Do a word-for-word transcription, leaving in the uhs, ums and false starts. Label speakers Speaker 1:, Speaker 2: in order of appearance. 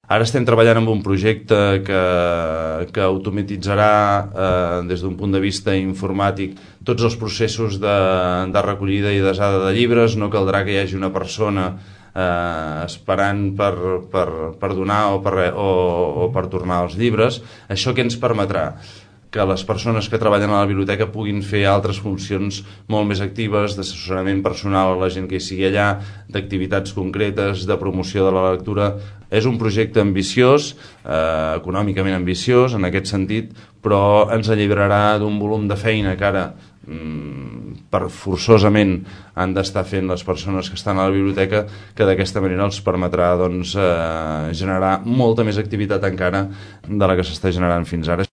Speaker 1: Ara estem treballant en un projecte que, que automatitzarà eh, des d'un punt de vista informàtic tots els processos de, de recollida i desada de llibres. No caldrà que hi hagi una persona eh, esperant per, per, per donar o per, o, o per tornar els llibres. Això què ens permetrà? Que les persones que treballen a la biblioteca puguin fer altres funcions molt més actives, d'assessorament personal a la gent que hi sigui allà, d'activitats concretes, de promoció de la lectura. És un projecte ambiciós, eh, econòmicament ambiciós en aquest sentit, però ens alliberarà d'un volum de feina que ara mm, per forçosament han d'estar fent les persones que estan a la biblioteca, que d'aquesta manera els permetrà doncs, eh, generar molta més activitat encara de la que s'està generant fins ara.